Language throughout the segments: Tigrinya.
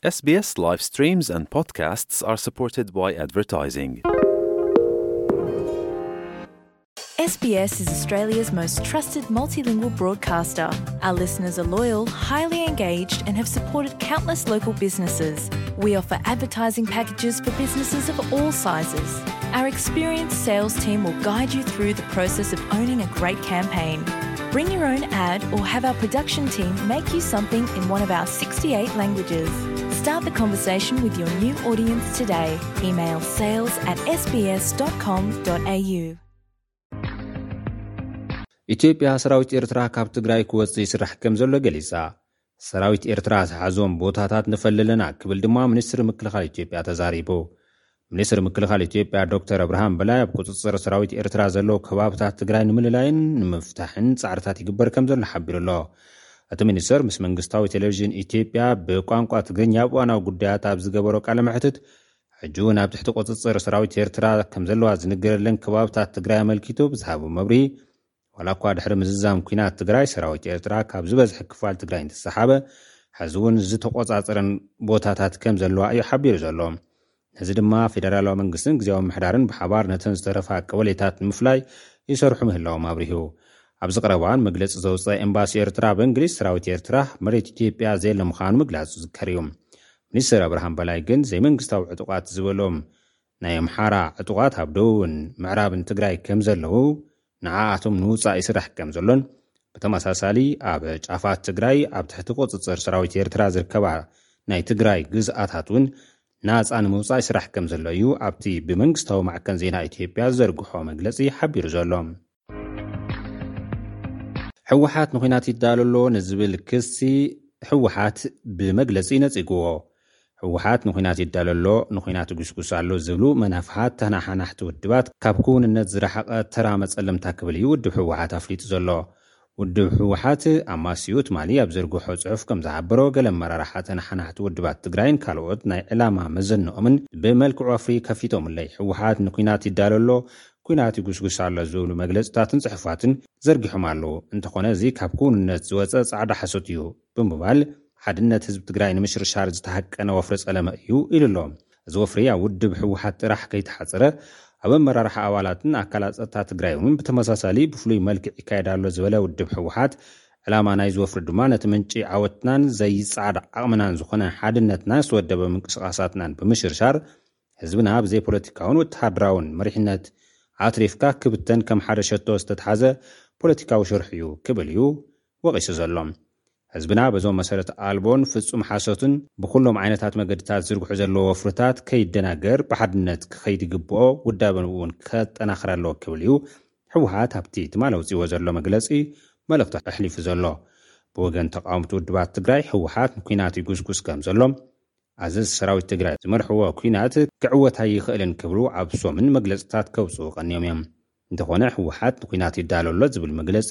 S B S live streams and podcasts are supported by advertising. S B S is Australia's most trusted multilingual broadcaster. Our listeners are loyal, highly engaged, and have supported countless local businesses. We offer advertising packages for businesses of all sizes. Our experienced sales team will guide you through the process of owning a great campaign. Bring your own ad or have our production team make you something in one of our sixty-eight languages. Start the conversation with your new audience today. Email sales at S B S dot com dot A U. ኢትዮጵያ ሰራዊት ኤርትራ ካብ ትግራይ ክወፅእ ይስራሕ ከም ዘሎ ገሊፃ። ሰራዊት ኤርትራ ዝሓዞም ቦታታት ንፈልለና ክብል ድማ ሚኒስትሪ ምክልኻል ኢትዮጵያ ተዛሪቡ። ሚኒስትሪ ምክልኻል ኢትዮጵያ ዶክተር ኣብርሃም በላይ ኣብ ቁፅፅር ሰራዊት ኤርትራ ዘለዉ ከባብታት ትግራይ ንምልላይን ንምፍታሕን ፃዕርታት ይግበር ከም ዘሎ ሓቢሩ ኣሎ። እቲ ሚኒስትር ምስ መንግስታዊ ቴሌቪዥን ኢትዮጵያ ብቋንቋ ትግርኛ ኣብ እዋናዊ ጉዳያት ኣብ ዝገበሮ ቃለ መሕትት ሕጂ እውን ኣብ ትሕቲ ቁፅፅር ሰራዊት ኤርትራ ከም ዘለዋ ዝንገረለን ከባብታት ትግራይ ኣመልኪቱ ብዝሃቦ መብርሂ ዋላ እኳ ድሕሪ ምዝዛም ኲናት ትግራይ ሰራዊት ኤርትራ ካብ ዝበዝሐ ክፋል ትግራይ እንተሰሓበ ሕዚ እውን ዝተቆፃፀረን ቦታታት ከም ዘለዋ እዩ ሓቢሩ ዘሎ። ነዚ ድማ ፌደራላዊ መንግስትን ግዜያዊ ምሕዳርን ብሓባር ነተን ዝተረፋ ቀበሌታት ንምፍላይ ይሰርሑ ምህላዎም ኣብሪሁ። ኣብዚ ቀረባ እዋን መግለፂ ዘውፀ ኤምባሲ ኤርትራ ኣብ እንግሊዝ ሰራዊት ኤርትራ መሬት ኢትዮጵያ ዘየለ ምዃኑ ምግላፁ ዝዝከር እዩ። ሚኒስትር ኣብርሃም በላይ ግን ዘይመንግስታዊ ዕጡቓት ዝበሎም ናይ ኣምሓራ ዕጡቓት ኣብ ደቡብን ምዕራብን ትግራይ ከም ዘለዉ ንዓኣቶም ንውፃእ ይስራሕ ከም ዘሎን ብተመሳሳሊ ኣብ ጫፋት ትግራይ ኣብ ትሕቲ ቁፅፅር ሰራዊት ኤርትራ ዝርከባ ናይ ትግራይ ግዝኣታት እውን ናፃ ንምውፃእ ይስራሕ ከም ዘሎ እዩ ኣብቲ ብመንግስታዊ ማዕከን ዜና ኢትዮጵያ ዝዘርግሖ መግለፂ ሓቢሩ ዘሎ። ህወሓት ንኹናት ይዳሎ ኣሎ ንዝብል ክሲ ህወሓት ብመግለፂ ነፂግዎ። ህወሓት ንኹናት ይዳሎ ኣሎ፣ ንኹናት ይጉስጉስ ኣሎ ዝብሉ መናፍሓት ተናሓናሕቲ ውድባት ካብ ክውንነት ዝረሓቐ ተራ መፀለምታ ክብል እዩ ውድብ ህወሓት ኣፍሊጡ ዘሎ። ውድብ ህወሓት ኣማስዩ ትማሊ ኣብ ዘርግሖ ፅሑፍ ከም ዝሓበሮ ገለ ኣመራርሓ ተናሓናሕቲ ውድባት ትግራይን ካልኦት ናይ ዕላማ መዘንኦምን ብመልክዕ ወፍሪ ከፊቶምለይ። ህወሓት ንኹናት ይዳሎ ኣሎ፣ ኲናት ይጉስጉስ ኣሎ ዝብሉ መግለፅታትን ፅሑፋትን ዘርጊሖም ኣለዉ። እንተኾነ እዚ ካብ ክውንነት ዝወፀ ፃዕዳ ሓሶት እዩ ብምባል ሓድነት ህዝቢ ትግራይ ንምሽርሻር ዝተሃቀነ ወፍሪ ፀለመ እዩ ኢሉ ኣሎ። እዚ ወፍሪ ኣብ ውድብ ህወሓት ጥራሕ ከይተሓፀረ ኣብ ኣመራርሓ ኣባላትን ኣካላት ፀጥታ ትግራይ እውን ብተመሳሳሊ ብፍሉይ መልክዕ ይካየድ ኣሎ ዝበለ ውድብ ህወሓት ዕላማ ናይዚ ወፍሪ ድማ ነቲ ምንጪ ዓወትናን ዘይፃዕድ ዓቕምናን ዝኾነ ሓድነትና ዝተወደበ ምንቅስቓሳትናን ብምሽርሻር ህዝብና ብዘይ ፖለቲካውን ወተሃደራውን መሪሕነት ኣትሪፍካ ክብተን ከም ሓደ ሸቶ ዝተትሓዘ ፖለቲካዊ ሽርሒ እዩ ክብል እዩ ወቒሱ ዘሎ። ህዝብና በዞም መሰረት ኣልቦን ፍጹም ሓሶትን ብኩሎም ዓይነታት መገድታት ዝርግሑ ዘለዎ ወፍርታት ከይደናገር ብሓድነት ክኸይድ ይግብኦ፣ ውዳበን እውን ከጠናኽር ኣለዎ ክብል እዩ ህወሓት ኣብቲ ትማሊ ኣውፅዎ ዘሎ መግለፂ መልእኽቲ ኣሕሊፉ ዘሎ። ብወገን ተቃወምቲ ውድባት ትግራይ ህወሓት ንኲናት ይጉስጉስ ከም ዘሎ ኣዘዝ ሰራዊት ትግራይ ዝመርሕዎ ኲናት ክዕወት ኣይኽእልን ክብሉ ኣብ ሶምን መግለፅታት ከውፅኡ ቀንዮም እዮም። እንተኾነ ህወሓት ንኲናት ይዳሎ ኣሎ ዝብል መግለፂ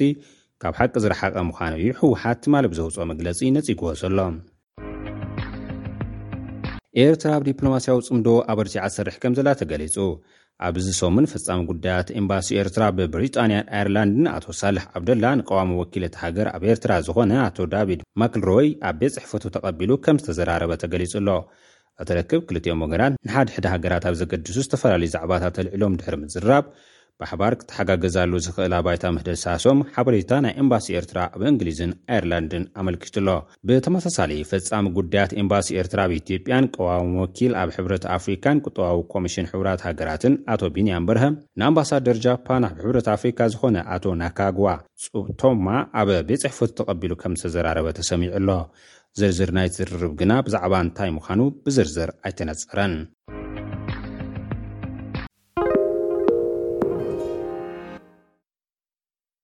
ካብ ሓቂ ዝረሓቐ ምዃኑ እዩ ህወሓት ትማሊ ብዘውፅኦ መግለፂ ነፂግዎ ዘሎ። ኤርትራ ኣብ ዲፕሎማስያዊ ፅምዶ ኣበርቲዓ ትሰርሕ ከም ዘላ ተገሊፁ። ኣብዚ ሰሙን ፈጻሚ ጉዳያት ኤምባሲ ኤርትራ ብብሪጣንያን ኣየርላንድን ኣቶ ሳልሕ ዓብደላ ንቀዋሚ ወኪል እቲ ሃገር ኣብ ኤርትራ ዝኾነ ኣቶ ዳቪድ ማክልሮይ ኣብ ቤት ጽሕፈቱ ተቐቢሉ ከም ዝተዘራረበ ተገሊጹ ኣሎ። እቲ ርክብ ክልቲኦም ወገናት ንሓድሕድ ሃገራት ኣብ ዘገድሱ ዝተፈላለዩ ዛዕባታት ኣልዒሎም ድሕሪ ምዝራብ ብሓባር ክተሓጋገዛሉ ዝኽእላ ባይታ ምህደሳሶም ሓበሬታ ናይ ኤምባሲ ኤርትራ ኣብ እንግሊዝን ኣየርላንድን ኣመልኪቱ ኣሎ። ብተመሳሳሊ ፈጻሚ ጉዳያት ኤምባሲ ኤርትራ ኣብ ኢትዮጵያን ቀዋሚ ወኪል ኣብ ሕብረት ኣፍሪካን ቁጠባዊ ኮሚሽን ሕቡራት ሃገራትን ኣቶ ቢንያም በርሀ ንኣምባሳደር ጃፓን ኣብ ሕብረት ኣፍሪካ ዝኾነ ኣቶ ናካግዋ ጹቶማ ኣብ ቤት ጽሕፈቱ ተቐቢሉ ከም ዝተዘራረበ ተሰሚዑ ኣሎ። ዝርዝር ናይ ዝርርብ ግና ብዛዕባ እንታይ ምዃኑ ብዝርዝር ኣይተነጸረን።